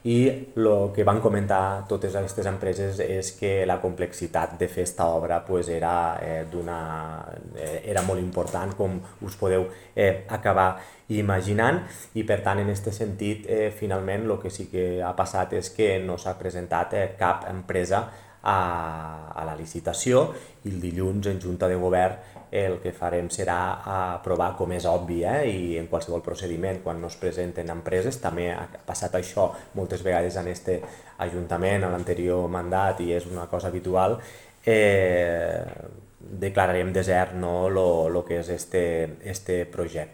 i el que van comentar totes aquestes empreses és que la complexitat de fer esta obra pues, era molt important, com us podeu acabar imaginant, i per tant en aquest sentit finalment el que sí que ha passat és que no s'ha presentat cap empresa a la licitació, i el dilluns en Junta de Govern el que farem serà aprovar, com és obvi, i en qualsevol procediment quan no es presenten empreses, també ha passat això moltes vegades en este Ajuntament, a l'anterior mandat, i és una cosa habitual, declararem desert, no, lo que és este projecte.